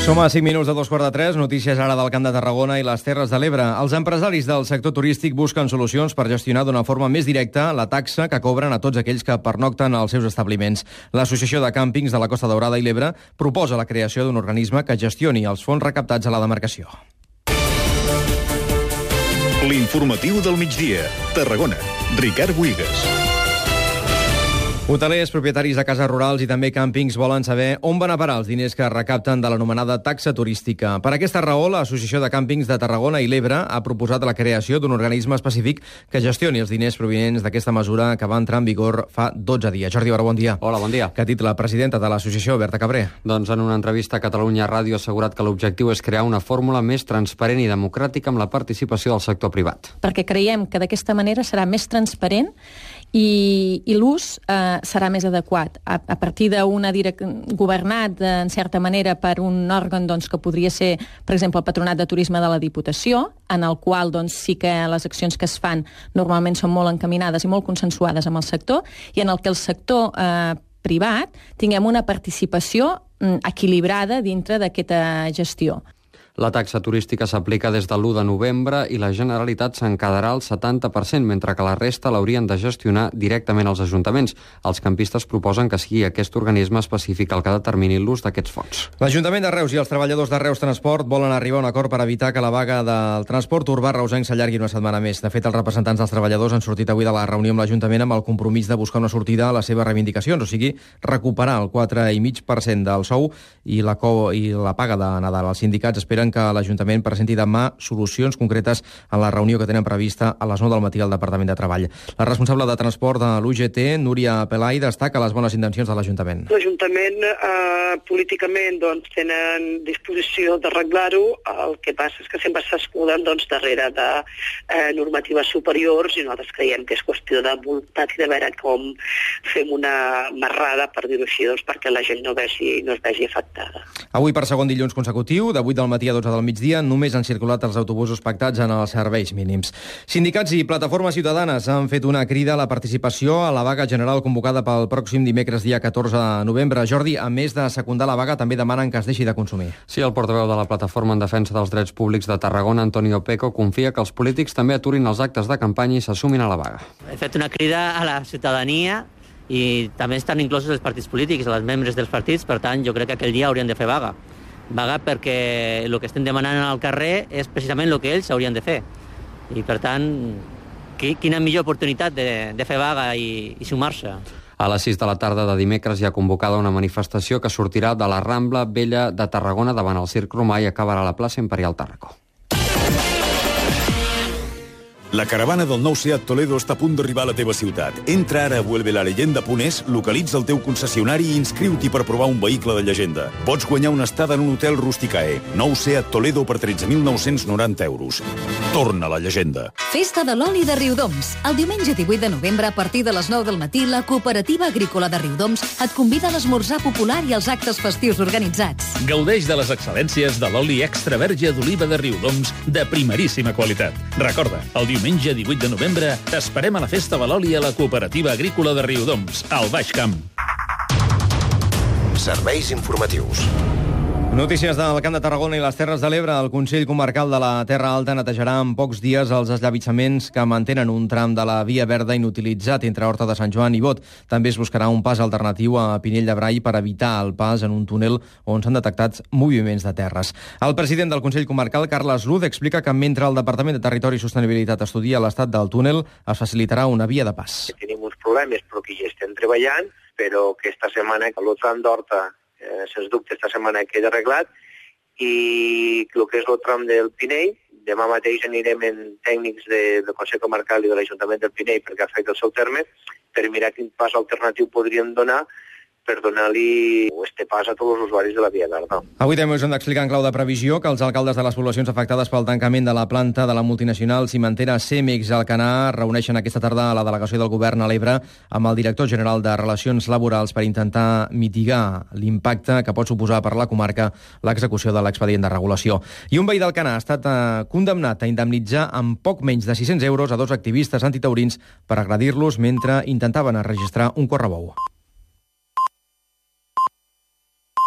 Som a 5 minuts de 2:15, notícies ara del Camp de Tarragona i les Terres de l'Ebre. Els empresaris del sector turístic busquen solucions per gestionar d'una forma més directa la taxa que cobren a tots aquells que pernocten als seus establiments. L'Associació de Càmpings de la Costa Daurada i l'Ebre proposa la creació d'un organisme que gestioni els fons recaptats a la demarcació. L'informatiu del migdia. Tarragona. Ricard Buigas. Hotelers, propietaris de cases rurals i també càmpings volen saber on van a parar els diners que recapten de l'anomenada taxa turística. Per aquesta raó, l'Associació de Càmpings de Tarragona i l'Ebre ha proposat la creació d'un organisme específic que gestioni els diners provinents d'aquesta mesura que va entrar en vigor fa 12 dies. Jordi Baró, bon dia. Hola, bon dia. Que ha dit la presidenta de l'associació, Berta Cabré. Doncs en una entrevista a Catalunya Ràdio ha assegurat que l'objectiu és crear una fórmula més transparent i democràtica amb la participació del sector privat. Perquè creiem que d'aquesta manera serà més transparent i l'ús serà més adequat. A partir d'un governat, en certa manera, per un òrgan que podria ser, per exemple, el Patronat de Turisme de la Diputació, en el qual sí que les accions que es fan normalment són molt encaminades i molt consensuades amb el sector, i en el que el sector privat tinguem una participació equilibrada dintre d'aquesta gestió. La taxa turística s'aplica des de l'1 de novembre i la Generalitat se'n quedarà el 70%, mentre que la resta l'haurien de gestionar directament els ajuntaments. Els campistes proposen que sigui aquest organisme específic el que determini l'ús d'aquests fons. L'Ajuntament de Reus i els treballadors de Reus Transport volen arribar a un acord per evitar que la vaga del transport urbà reusenc s'allargui una setmana més. De fet, els representants dels treballadors han sortit avui de la reunió amb l'Ajuntament amb el compromís de buscar una sortida a les seves reivindicacions, o sigui, recuperar el 4,5% del sou i la paga de Nadal. Els sindicats esperen que l'Ajuntament presenti demà solucions concretes a la reunió que tenen prevista a les 9 del matí al Departament de Treball. La responsable de transport de l'UGT, Núria Pelai, destaca les bones intencions de l'Ajuntament. L'Ajuntament, políticament, tenen disposició d'arreglar-ho. El que passa és que sempre s'escuden darrere de normatives superiors i nosaltres creiem que és qüestió de voluntat i de veure com fem una marrada, per dir-ho així, perquè la gent no es vegi afectada. Avui, per segon dilluns consecutiu, de 8 del matí a 12 del migdia, només han circulat els autobusos pactats en els serveis mínims. Sindicats i plataformes ciutadanes han fet una crida a la participació a la vaga general convocada pel pròxim dimecres, dia 14 de novembre. Jordi, a més de secundar la vaga, també demanen que es deixi de consumir. Sí, el portaveu de la Plataforma en Defensa dels Drets Públics de Tarragona, Antonio Peco, confia que els polítics també aturin els actes de campanya i s'assumin a la vaga. He fet una crida a la ciutadania i també estan inclosos els partits polítics, els membres dels partits, per tant, jo crec que aquell dia haurien de fer vaga. Vaga perquè el que estem demanant al carrer és precisament el que ells haurien de fer. I, per tant, quina millor oportunitat de fer vaga i sumar-se. A les 6 de la tarda de dimecres hi ha convocada una manifestació que sortirà de la Rambla Vella de Tarragona davant el Circ Romà i acabarà a la plaça Imperial Tàrraco. La caravana del nou Seat Toledo està a punt d'arribar a la teva ciutat. Entra ara a vuelvelaleyenda.es, localitza el teu concessionari i inscriu-t'hi per provar un vehicle de llegenda. Pots guanyar una estada en un hotel Rusticae. Nou Seat Toledo per 13.990 euros. Torna a la llegenda. Festa de l'oli de Riudoms. El diumenge 18 de novembre, a partir de les 9 del matí, la Cooperativa Agrícola de Riudoms et convida a l'esmorzar popular i als actes festius organitzats. Gaudeix de les excel·lències de l'oli extra verge d'oliva de Riudoms de primeríssima qualitat. Recorda, el diumenge 18 de novembre t'esperem a la Festa de l'Oli a la Cooperativa Agrícola de Riudoms, al Baix Camp. Serveis informatius. Notícies del Camp de Tarragona i les Terres de l'Ebre. El Consell Comarcal de la Terra Alta netejarà en pocs dies els esllavitsaments que mantenen un tram de la via verda inutilitzat entre Horta de Sant Joan i Bot. També es buscarà un pas alternatiu a Pinell de Brai per evitar el pas en un túnel on s'han detectat moviments de terres. El president del Consell Comarcal, Carles Luz, explica que mentre el Departament de Territori i Sostenibilitat estudia l'estat del túnel, es facilitarà una via de pas. Tenim uns problemes però que hi estem treballant, però que esta setmana el tram d'Horta sens dubte esta setmana queda arreglat i el que és el tram del Pinell, demà mateix anirem en tècnics del Consell Comarcal i de l'Ajuntament del Pinell perquè afecta el seu terme per mirar quin pas alternatiu podríem donar per donar-li este pas a tots els usuaris de la via verda. Avui també us hem d'explicar en clau de previsió que els alcaldes de les poblacions afectades pel tancament de la planta de la multinacional cimentera Cemex Alcanar reuneixen aquesta tarda a la delegació del govern a l'Ebre amb el director general de Relacions Laborals per intentar mitigar l'impacte que pot suposar per la comarca l'execució de l'expedient de regulació. I un veí d'Alcanar ha estat condemnat a indemnitzar amb poc menys de 600 euros a dos activistes antitaurins per agredir-los mentre intentaven enregistrar un correbou.